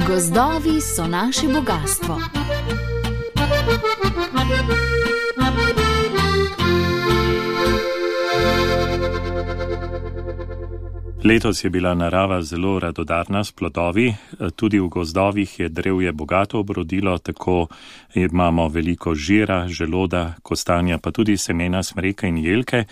Gozdovi so naše bogastvo. Letos je bila narava zelo radodarna s plodovi, tudi v gozdovih je drevje bogato obrodilo, tako imamo veliko žira, želoda, kostanja, pa tudi semena smreke in jelke.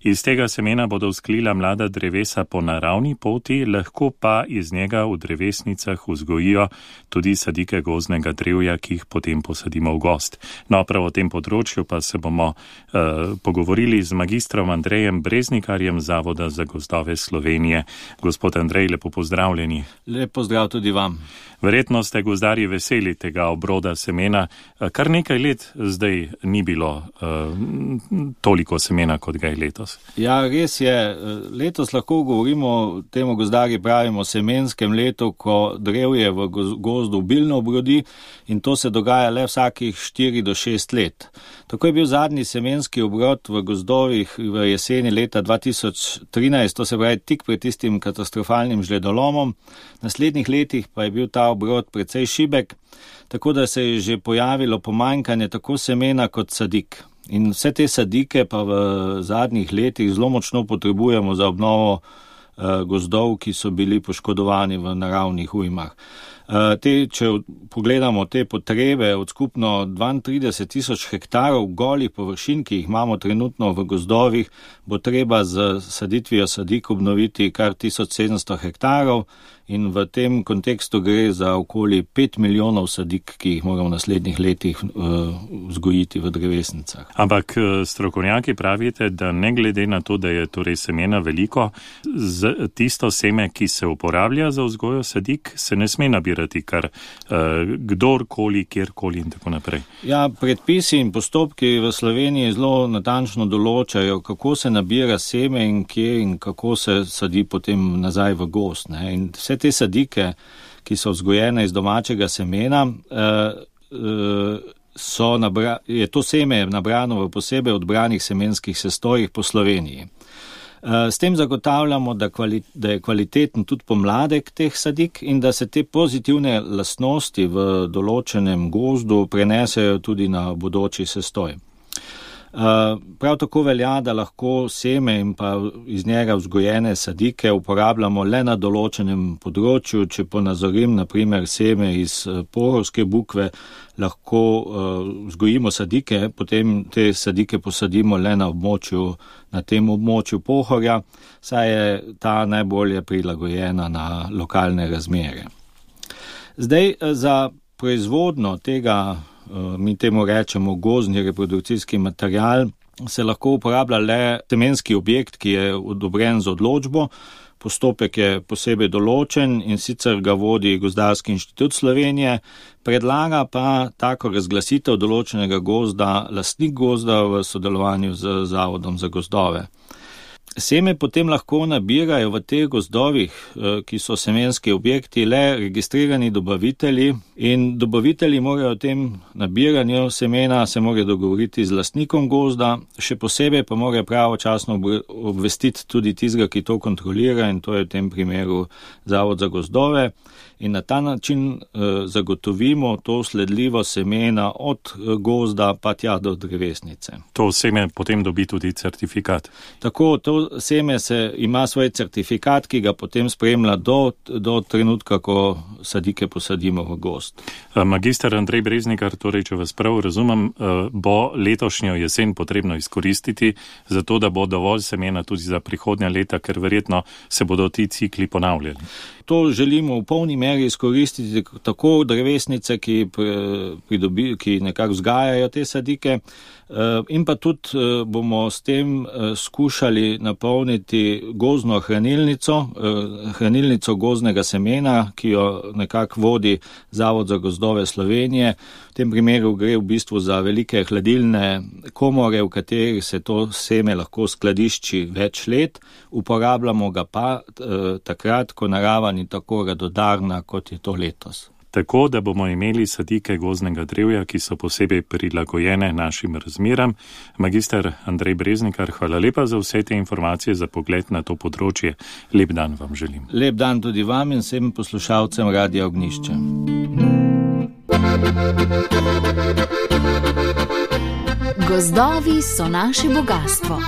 Iz tega semena bodo vzklila mlada drevesa po naravni poti, lahko pa iz njega v drevesnicah vzgojijo tudi sadike gozdnega drevja, ki jih potem posadimo v gozd. No, prav o tem področju pa se bomo pogovorili z magistrom Andrejem Breznikarjem Zavoda za gozdove Slovenije. Gospod Andrej, lepo pozdravljeni. Lep pozdrav tudi vam. Verjetno ste gozdarji veseli tega obroda semena. Kar nekaj let zdaj ni bilo toliko semena, kot ga je letos. Ja, res je. Letos lahko govorimo, temu gozdarji pravimo semenskem letu, ko drevje v gozdu obilno obrodi in to se dogaja le vsakih 4 do 6 let. Tako je bil zadnji semenski obrod v gozdovih v jeseni leta 2013, to se pravi tik pred tistim katastrofalnim žledolomom. V naslednjih letih pa je bil ta obrod precej šibek, tako da se je že pojavilo pomanjkanje tako semena kot sadik. In vse te sadike pa v zadnjih letih zelo močno potrebujemo za obnovo gozdov, ki so bili poškodovani v naravnih ujmah. Če pogledamo te potrebe od skupno 32,000 hektarov golih površin, ki jih imamo trenutno v gozdovih, bo treba z saditvijo sadik obnoviti kar 1700 hektarov in v tem kontekstu gre za okoli 5 milijonov sadik, ki jih moramo v naslednjih letih vzgojiti v drevesnicah. Ampak strokovnjaki pravite, da ne glede na to, da je torej semena veliko, tisto seme, ki se uporablja za vzgojo sadik, se ne sme nabirati kar kdorkoli, kjerkoli in tako naprej. Ja, predpisi in postopki v Sloveniji zelo natančno določajo, kako se nabira seme in kje in kako se sadi potem nazaj v gozd. In vse te sadike, ki so vzgojene iz domačega semena, je to seme nabrano v posebej odbranih semenskih sestojih po Sloveniji. S tem zagotavljamo, da je kvaliteten tudi pomladek teh sadik in da se te pozitivne lastnosti v določenem gozdu prenesejo tudi na bodoči sestoj. Prav tako velja, da lahko seme in pa iz njega vzgojene sadike uporabljamo le na določenem področju. Če ponazorim, naprimer seme iz porovske bukve, lahko vzgojimo sadike, potem te sadike posadimo le na tem območju Pohorja, saj je ta najbolje prilagojena na lokalne razmere. Zdaj, za proizvodno tega, mi temu rečemo gozdni reprodukcijski material, se lahko uporablja le semenski objekt, ki je odobren z odločbo. Postopek je posebej določen in sicer ga vodi Gozdarski inštitut Slovenije, predlaga pa tako razglasitev določenega gozda lastnik gozda v sodelovanju z Zavodom za gozdove. Seme potem lahko nabirajo v teh gozdovih, ki so semenski objekti, le registrirani dobavitelji in dobavitelji morajo o tem nabiranju semena se morajo dogovoriti z lastnikom gozda, še posebej pa morajo pravočasno obvestiti tudi tistega, ki to kontrolira in to je v tem primeru Zavod za gozdove. In na ta način zagotovimo to sledljivo semena od gozda pa tja do drevesnice. To seme potem dobi tudi certifikat? Tako, to seme ima svoj certifikat, ki ga potem spremlja do trenutka, ko sadike posadimo v gozd. Magister Andrej Breznikar, torej, če vas prav razumem, bo letošnjo jesen potrebno izkoristiti, zato da bo dovolj semena tudi za prihodnja leta, ker verjetno se bodo ti cikli ponavljali. To želimo v polni meri izkoristiti tako drevesnice, ki nekako vzgajajo te sadike, in pa tudi bomo s tem skušali napolniti gozdno hranilnico gozdnega semena, ki jo nekako vodi Zavod za gozdove Slovenije. V tem primeru gre v bistvu za velike hladilne komore, v katerih se to seme lahko skladišči več let. Uporabljamo ga pa takrat, ko narava ni tako radodarna, kot je to letos. tako da bomo imeli sadike gozdnega drevja, ki so posebej prilagojene našim razmeram. Magister Andrej Breznikar, hvala lepa za vse te informacije, za pogled na to področje. Lep dan vam želim. Lep dan tudi vam in vsem poslušalcem Radia Ognjišče. Gozdovi so naše bogastvo.